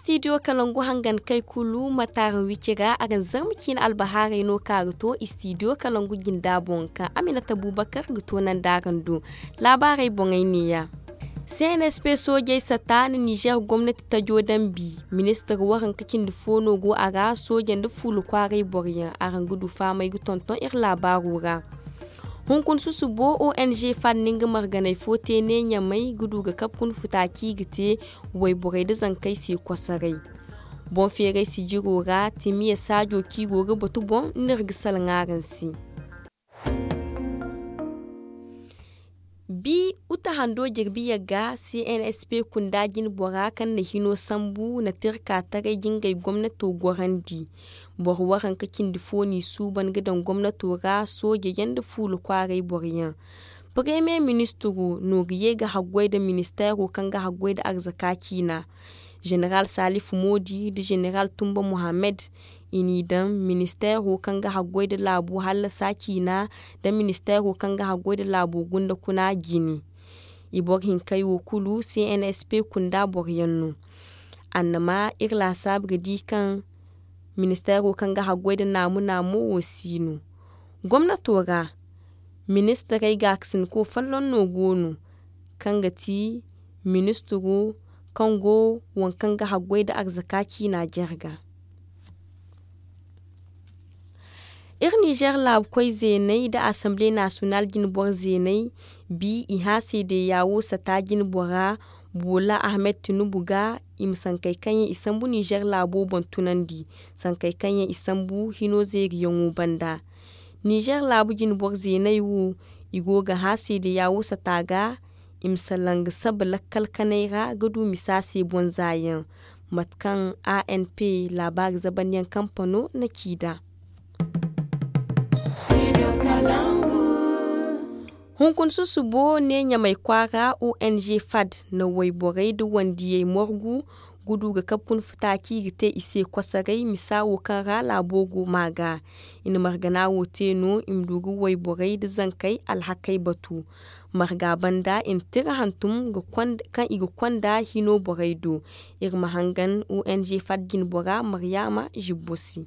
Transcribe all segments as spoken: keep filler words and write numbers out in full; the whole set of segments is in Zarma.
Istidiyo kalangu hangan kay kulu ma taaraŋ wici ra araŋ zarma ciine albahaarey no kaŋ a ga to istidiyo kalangu jinda boŋ kaŋ aminata bubakar ga toonandi araŋ do. Laabaarey boŋey neeya. Cnsp soojey sata na nizer gomnati tajo daŋ bi. Ministir waranka cindi fo no go a ra sooje nda fuula kwaaray boro yaŋ araŋ ga du fahamey ga tonton iri laabaaro ra. Hunkuna susubo ong fad na nga marganey fo te ne ɲamay ga du ga kabe kuna futa kaŋ i ga te wayborey nda zankey se kosoray. Boŋ feeray sijiro ra timiya saajo kaŋ i go ga batu boŋ no iri ga salaŋ araŋ se. Bi uta hando jirbi yagga cnsp kunda jine bora kaŋ na hino sambu na tirka taray jingay gomnato gorandi. Boro waranka cindi fo n'i suuban ga daŋ gomnato ra sooje yaŋ nda fuula kwaaray boro yaŋ. Paremiye ministiro no ga ye ga haggoy nda ministeero kaŋ ga haggoy nda arzaka ciina. Jeneral salifu moodi nda jeneral tumba muhammad i n'i daŋ ministeero kaŋ ga haggoy nda laabo hallasa ciina nda ministeero kaŋ ga haggoy nda laabo gunda kuna jine. I boro hinkey wo kulu cnsp kunda boro yaŋ no. Annama iri laasaabu ga di kaŋ ministeero kaŋ ga haggoy nda naamu naamu wo si no. Gomnato ra ministirey gaakasinko folloŋ no go no kaŋ ga ti ministiro kaŋ go waŋ kaŋ ga haggoy nda arzaka ciina jarga. Iri nizer laabu koy zeeney nda asamble nasiyonal jine boro zeeney bi i hã seedeya wo sata jine bora. Boola ahmed tinubu ga i ma sankey kaŋ yaŋ i sambu nizer laabo boŋ tunandi sankey kaŋ yaŋ i sambu hino zeeriyaŋo banda. Nizer laabu jine boro zeeney wo i go ga hã seedeya wo sata ga i ma salaŋ ga saba lakkal kanay ra ga du misa se boŋ za yaŋ. Mate kaŋ anp laabaari zabandiyaŋ kampano na ci nd'a. Hunkuna susubo ne ɲamay kwaara ong fad na wayborey nda wandiyey morgu ga du ga kabe kuna futa kaŋ i ga te i se kosoray misa wo kaŋ ra laabo go ma ga. I na margana wo te no i ma du ga wayborey nda zankey alhakey batu. Marga banda i na tira hantum kaŋ i ga konda hino borey do. Iri ma hangan ong fad jine bora maryaama zibbo se.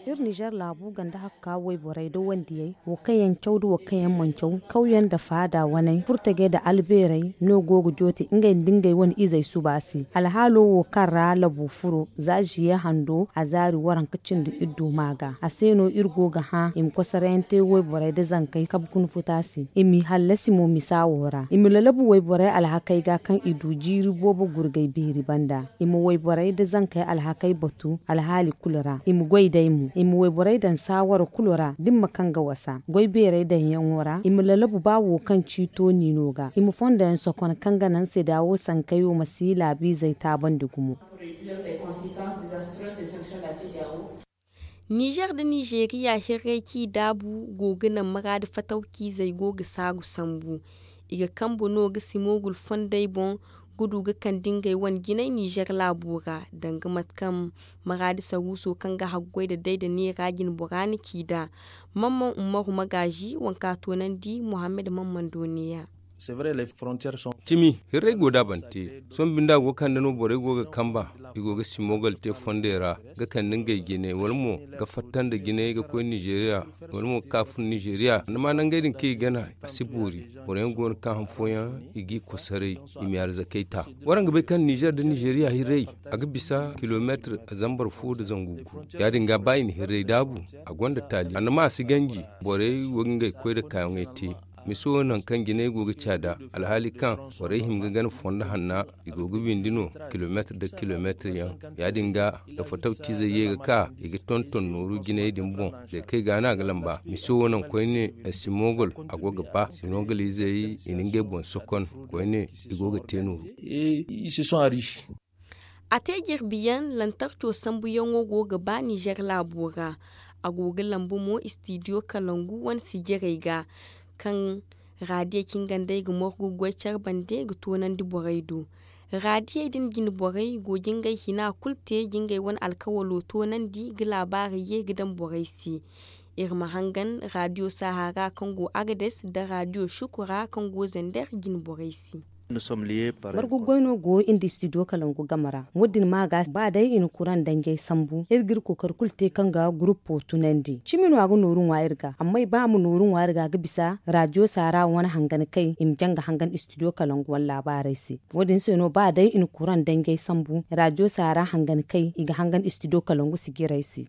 Iri nizer laabu ganda hakka wayborey nda wandiyey wo kaŋ yaŋ caw nda wo kaŋ yaŋ mana caw kawyaŋ nda faada waney furtajey nda albeerey no go ga joote ngey nda ngey wane izey suba se. Alhaalo wo kaŋ ra labu furo za ziye hando a zaari waranka cindi iddu ma ga a se no iri go ga hã i ma kosarayaŋ te wayborey nda zankey kabe kuna futa se i m'i hallasi mo misa wo ra i ma lalabu wayborey alhakey ga kaŋ i du jiiri boobo gurgay beeri banda. I ma wayborey nda zankey alhakey batu alhaali kulu ra i ma goy day mo i ma wayborey daŋ saawara kulu ra da ni ma kaŋ ga wasa goy beerey daŋyaŋo ra i ma lalabu ba wo kaŋ ciito ni no ga i ma fondo yaŋ sokon kaŋ ga naŋ seeda wo sankey wo ma si laabiizey taabandi gumo. Nizer nda nizeriya hirray kaŋ i daabu go ga naŋ maraadi fatawciizey go ga saaru sambu. I ga kambe no ga simogul fondey boŋ ga du ga kande ngey wane jinay nizer laabo ra danga mate kaŋ maraadi saruuso kaŋ ga haggoy nda day nda neera jine bora na ci nd'a. Mamman ummaru magaazi waŋ kaŋ a toonandi muhammad mamman do neeya. Cimi, hirray go da bante sohõ binde a go ga kande no borey go ga kamba i go ga simogal te fondey ra ga kande ngey jine wala mo ga fatta nda jinay ga koy nizeriya wala mo ga ka fun nizeriya ni ma nangey din kaŋ i gana a si boori. Boro yaŋ go no kaŋ han fooyaŋ i g'i kosoray i ma i arzakey ta. Waraŋ ga bay kaŋ nizer nda nizeriya hirray a ga bisa kilomeetir zambar fo nda zangu gu. Ya- din ga ba i na hirray daabu a gonda taali a na ma a si ganji. Borey wo ga ngey koy nda kaayaŋey te. Miso nangu kaŋ jinay go ga caada alhaali kaŋ borey hima ga gana fondo hanna i go ga windi no kilomeetir nda kilomeetir yaŋ. Ya- din ga da fotawciizey ye ga ka i ga tonton nooru jinay din boŋ. Zay kaŋ i ga no a ga lamba miso wo nangu koyne simogol a go ga ba simogol izey i na ngey boŋ sokon koyne i go ga te nooru. I se sohõ a riisi. A te jirbi yaŋ lantarco sambuyaŋo go ga ba nizer laabo ra. A go ga lambu mo istidiyo kalangu wane sijirey ga kaŋ raadiyey cingandey ga morgu goy care bande ga toonandi borey do. Raadiyey din jine borey go ga ngey hina kulu te ga ngey wane alkawalo toonandi ga laabaarey ye ga daŋ borey se. Iri ma hangan raadiyo sahara kaŋ go agades nda raadiyo sukura kaŋ go zender jine borey se. Margu goy no go iri nda studio kalangu game ra. Wo- din ma ga ba day i na kuraŋ danjey sambu iri ga iri kookari kulu te kaŋ ga guruppo tunandi cimi no a ga nooru ŋwa iri ga amma i ba a ma nooru ŋwa iri ga a ga bisa raadiyo saara wane hangan kay i ma jaŋ ga hangan studio kalangu wane laabaarey se. Wo- din se no ba day i na kuraŋ danjey sambu raadiyo saara hangan kay i ga hangan studio kalangu sijirey se.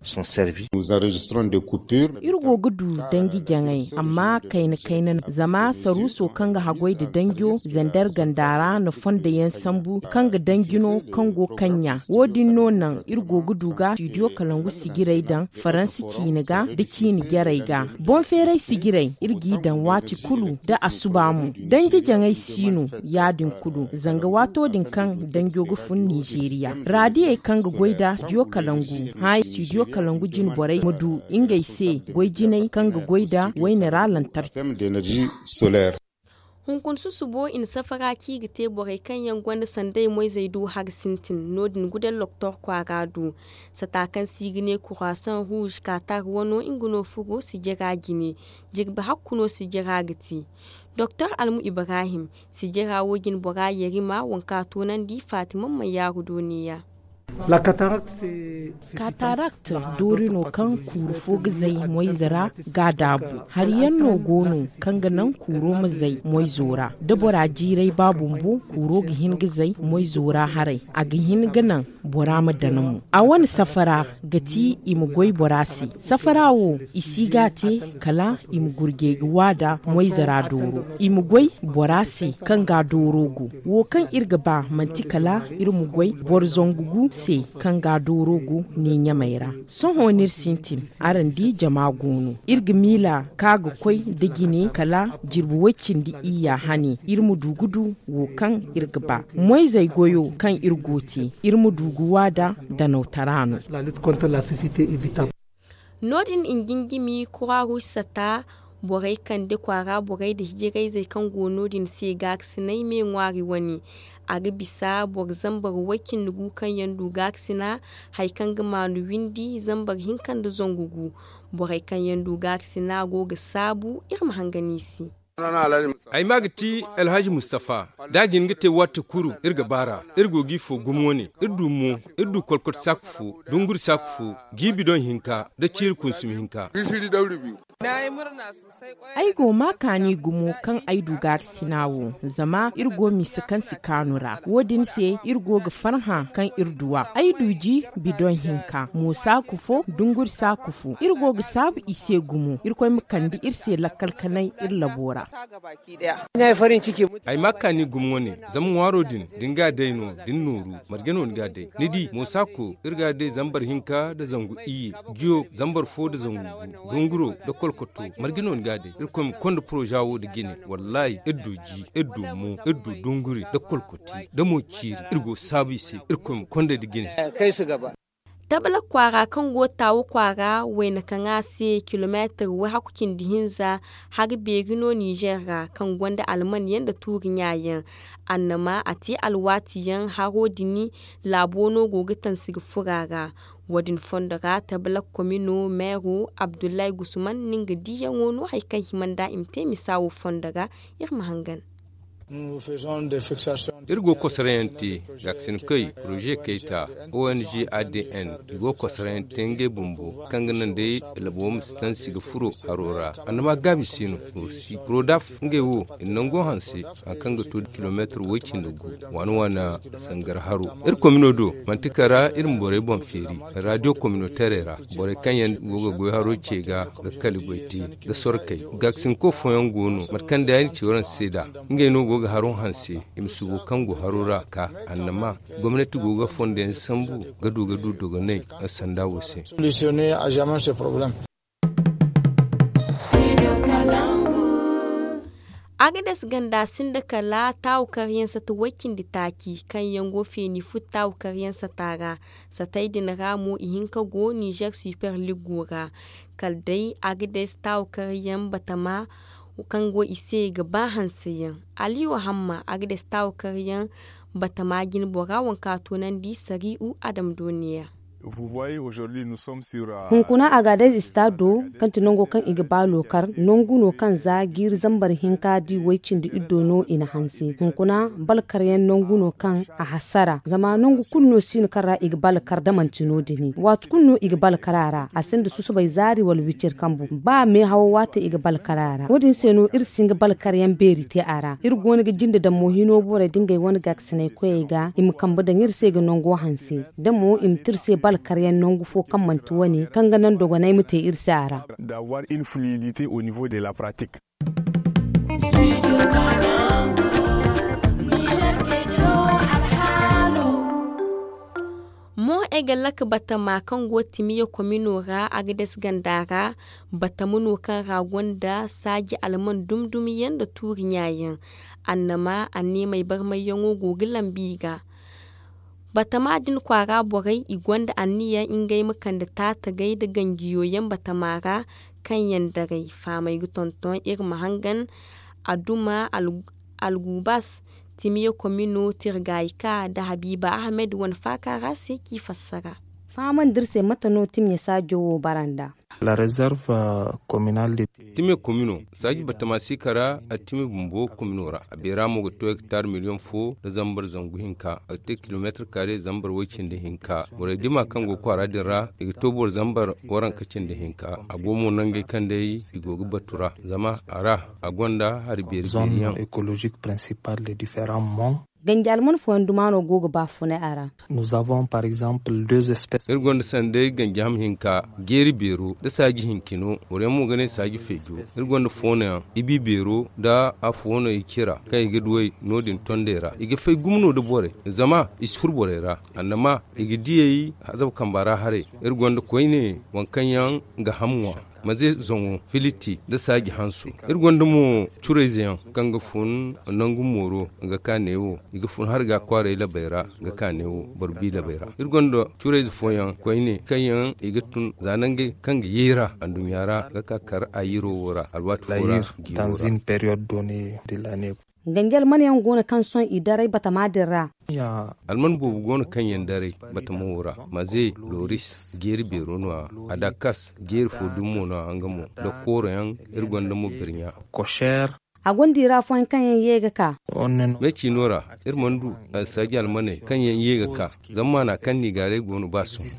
Iri go ga du danji jaŋay amma kayna kayna no zama saruuso kaŋ ga haggoy nda danjo zander ganda ra na fondo yaŋ sambu kaŋ ga danji no kaŋ go kaŋ ɲa. Wo- din no naŋ iri go ga du ga studio kalangu sijirey daŋ faransi ciine ga nda ciine jarey ga. Boŋ feeray sijirey iri g'i daŋ waati kulu nda asuba mo. Danji jaŋay si no ya- din kulu zanga waato din kaŋ danjo ga fun nizeeriya raadiyey kaŋ ga goy nda studio kalangu hã studio kalangu jine borey ma du ngey se goy jinay kaŋ ga goy nda wayne ra lantarki. Hunkuna susubo i na safara kaŋ i ga te borey kaŋ yaŋ gonda sanday moyzey du hari sintin no- din gudel loktor kwaara du. Sata kaŋ se i ga ne kurasan ruuz katar wano nga no furo sijira jine. Jirbi hakku no sijira ga te. Doktor almu ibrahim sijira wo jine bora yerima waŋ kaŋ a toonandi fatima mayyaaru do neeya. Katarakt doori no kaŋ kuuru fo ga zay moyze ra ga a daabu. Hari yaŋ no go no kaŋ ga naŋ kuuro ma zay moyzo ra da bora jiiray ba bumbo kuuro ga hin ga zay moyzo ra haray a ga hin ga naŋ bora ma dana mo. A wane safara ga ti i ma goy bora se. Safara wo i si ga a te kala i ma gurjey ga waada moyze ra dooro i ma goy bora se kaŋ ga dooro go. Wo kaŋ iri ga ba manti kala iri ma goy boro zangu gu se kaŋ ga dooro go ne ɲamey ra. Sohõ no iri sintin araŋ di jama go no iri ga miila ka ga koy nda jine kala jirbi way-cindi iyya hane iri ma du ga du wo kaŋ iri ga ba. Moyzey goyo kaŋ iri go te iri ma du ga waada danawtara no. No- din i ga jinjimi kuraruuz sata borey kande kwaara borey nda hijirayzey kaŋ go no- din se gaakasinay me ŋwaari wane. A ga bisa boro zambar way-cindi gu kaŋ yaŋ du gaakasina hari kaŋ ga maanu windi zambar hinka nda zangu gu. Borey kaŋ yaŋ du gaakasina go ga saabu iri ma hangan i se. Ay maa ga ti alhaji mustafa. Da a jin ga te waati kulu iri ga baar'a. Iri go g'i fo gumo wane iri du mo iri du kolkot saaku fo dunguri saaku fo jiibi doŋ hinka nda ciiri kunsumi hinka. Ay go maa kaani gumo kaŋ ay du gaari sina wo zama iri go mise kaŋ si kaanu ra wo- din se iri go ga farhã kaŋ iri duw'a ay du ji bidoŋ hinka mo saaku fo dunguri saaku fo iri go ga saabu i se gumo irkoy ma kande iri se lakkal kanay iri labo ra. Ay ma kaani gumo wane zama ŋwaaro din da ni ga a day no da ni nooru marje no ni ga a day ni di mo saaku iri ga a day zambar hinka nda zangu iyye jiyo zambar fo nda zangu gu dunguro nda kolkoto marje no ni ga a day irkoy ma konda poroza wo nda jine wallaahi iri du ji iri du mo iri du dunguri nda kolkoti nda mo ciiri iri go saabu i se irkoy ma konda nda jine. Tabalak kwaara kaŋ go taawa kwaara wayna kaŋ a se kilomeetir way hakku cindi hinza hari beeri no ninzeer ra kaŋ gonda alman yaŋ nda tuuri ɲa yaŋ. Annama a te alwaati yaŋ haro din laabo no go ga tansi ga furo a ra. Wo- din fondo ra tabalak komino meero abdullahi gusman na nga diiyaŋo no hari kaŋ hima nd'a i ma te misa wo fondo ra. Iri ma hangan. Iri go ga kosarayaŋ te gaakasin koy poroze kayta ong adn i go ga kosarayaŋ te ngey bumbo kaŋ ga naŋ day labo ma si tansi ga furo haro ra. Annama gaabi se no nooru si prodaf ngey wo i na nango hanse hari kaŋ ga to kilomeetir way cindi gu waana waana zangar haro. Iri komino do manti kala ra iri ma borey boŋ feeri raadiyo kominoteerey ra borey kaŋ yaŋ go ga goy haro ce ga ga kali goy te ga sorkey gaakasinko fooyaŋ go no mate kaŋ day ay na ci waraŋ se nd'a ngey no go ga haro hanse i ma subo kaŋ go haro ra ka annama gomnati go ga fondo yaŋ sambu ga du ga du dogonay sanda wo se. Agades ganda sinda kala taawukaryaŋ sata way cindi taaci kaŋ yaŋ go feeni fut taawukaryaŋ sata ra. Satey din ra mo ihinka go nizer super ligo ra. Kala day agades taawukaryaŋ batama kaŋ go i se ga ba hanseyaŋ. Aliyu hamma agades taawukaryaŋ batama jinbora waŋ kaŋ a toonandi sari'u adama do neeya. Hunkuna, Agadez istaado, kaŋ ti nango kaŋ i ga ba lookar, nangu no kaŋ za jiiri zambar hinka di way cindi iddo no i na hanse. Hunkuna, balkaryaŋ nangu no kaŋ a hasara, zama nangu kulu no si no kaŋ ra i ga balkar da manti no- din. Waati kulu no i ga balkar a ra, a sinda susubay zaari wala wicir kambu. Ba meehawo waate i ga balkar a ra. Wo- din se no iri si hin ga balkaryaŋ beeri te a ra. Iri go no ga jinde daŋ mo hino borey da ngey wane gaakasinay koyey ga, i ma kambe daŋ iri se ga nango hanse. Da mo i ma te iri se balkaryaŋ nangu fo kaŋ manti wane kaŋ ga naŋ dogonay ma te iri se a ra. Mo ay ga lak batama kaŋ go timiya komino ra, agades ganda ra. Batama no kaŋ ra gonda saaji alman dumdum yaŋ nda tuuri ɲa yaŋ. Annama anneemey barmayyaŋo go ga lambi i ga. Batama din kwaara borey, i gonda anniya ngey ma kande taatagey nda ganjiyo yaŋ batama ra. Kaŋ yaŋ daray faamey ga tonton iri ma hangan. Aduma algubas, timiya komino tirgayka nda habiiba ahmed wane faaka ra se k'i fassara. Fahamandi iri se mate no timiya saajo wo bara nd'a. Timiya komino saaji batama siika ra, a timiya bumbo komino ra a beera mo ga to hektar miliyoŋ fo nda zambar zangu hinka, a ga te kilomeetir kaare zambar way cindi hinka. Borey dima kaŋ go kwaara din ra, i ga to boro zambar waranka cindi hinka. A go mo nangey kaŋ day i go ga batu ra, zama a ra a gonda hari beeri beeri yaŋ. Ganji alman fooyaŋ duma no go ga baafunay a ra. Iri gonda sanday ganji ham hinka, jeeri beero nda saaji hinkino. Boro yaŋ mo ga ne saaji feejo. Iri gonda foono yaŋ, ibi beero nda a foono i cira kaŋ i ga duw'ey no- din tondey ra. I ga fay gumo no nda borey, zama i si furo borey ra. Annama i ga diyey hazab kamba ra haray. Iri gonda koyne waŋ kaŋ yaŋ ga ham ŋwa, maze zaŋo, filiti nda saaji hanso. Iri gonda mo curayze yaŋ kaŋ ga fun nangu mooro ga ka neewo, i ga fun harga kwaaray labey ra ga ka neewo, boro bi labey ra. Iri gonda curayze fooyaŋ koyne kaŋ yaŋ i ga tun za nangey kaŋ ga yeera anduɲɲa ra ga ka kar ayiro wo ra alwaati fo ra. Jiiro ra. Ganji alman yaŋ go no kaŋ sohõ i daray batama din ra. Alman boobo go no kaŋ yaŋ daray batama wo ra, maze, loris, jeeri beero no- ya, adakas, jeeri fo dumi mo no- ya nga mo, nda kooro yaŋ. Iri gonda mo birɲa. A gonda i ra afooyaŋ kaŋ yaŋ ye ga ka. Me ciino ra, iri mana du saaji almaney kaŋ yaŋ ye ga ka. Zama maana kaŋ nigaarey go no ba sohõ.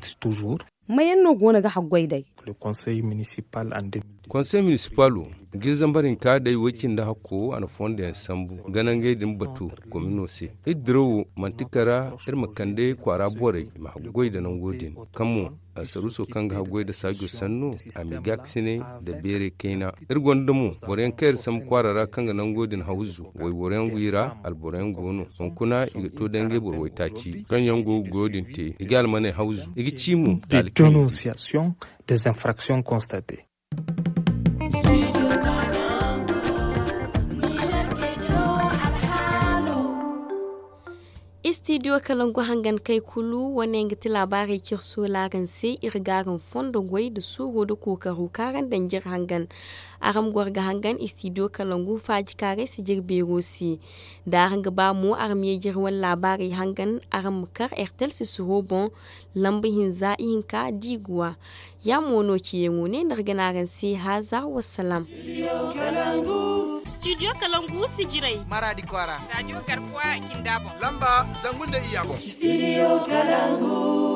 Mayaŋ no go no ga haggoy day? Konsey minisipalo, jiiri zambar hinka day way cindi hakko a na fondo yaŋ sambu ga nangey din batu. Komino se, iri dirawo manti kara iri ma kande kwaara borey i ma haggoy nda nango din kaŋ mo, saruuso kaŋ ga haggoy nda saajo sanno, a m'i gaakasinay nda beeray kayna. Iri gonda mo boro yaŋ kaŋ iri sambu kwaara ra kaŋ ga nango din hawzu. Wayboro yaŋ go i ra, alboro yaŋ go no. Hunkuna i ga to da ngey boro waytaaci kaŋ yaŋ go ga goyo din te, i ga almaney hawzu, i ga ci mo. Taali kaŋ i ga. Istidiyo kalangu hangan kay kulu wane nga ti laabaarey kaŋ iri soola araŋ se. Iri ga araŋ fondo goy nda suuro nda kookaro kaŋ araŋ daŋ jire hangan. Araŋ ma goro ga hangan istidiyo kalangu faaji kaarey si jire beero se. Da araŋ ga ba mo araŋ ma ye jire wane laabaarey hangan, araŋ ma kar ertel sisiro boŋ, lamba hinza ihinka diiguwa. Ya mo no ciyaŋo ne nda iri ga ne araŋ se haaza wassalam. Studio kalangu sijirey maradi kwaara radio garkuwa kinda boŋ lamba zangu nda iyya boŋ. Studio kalangu.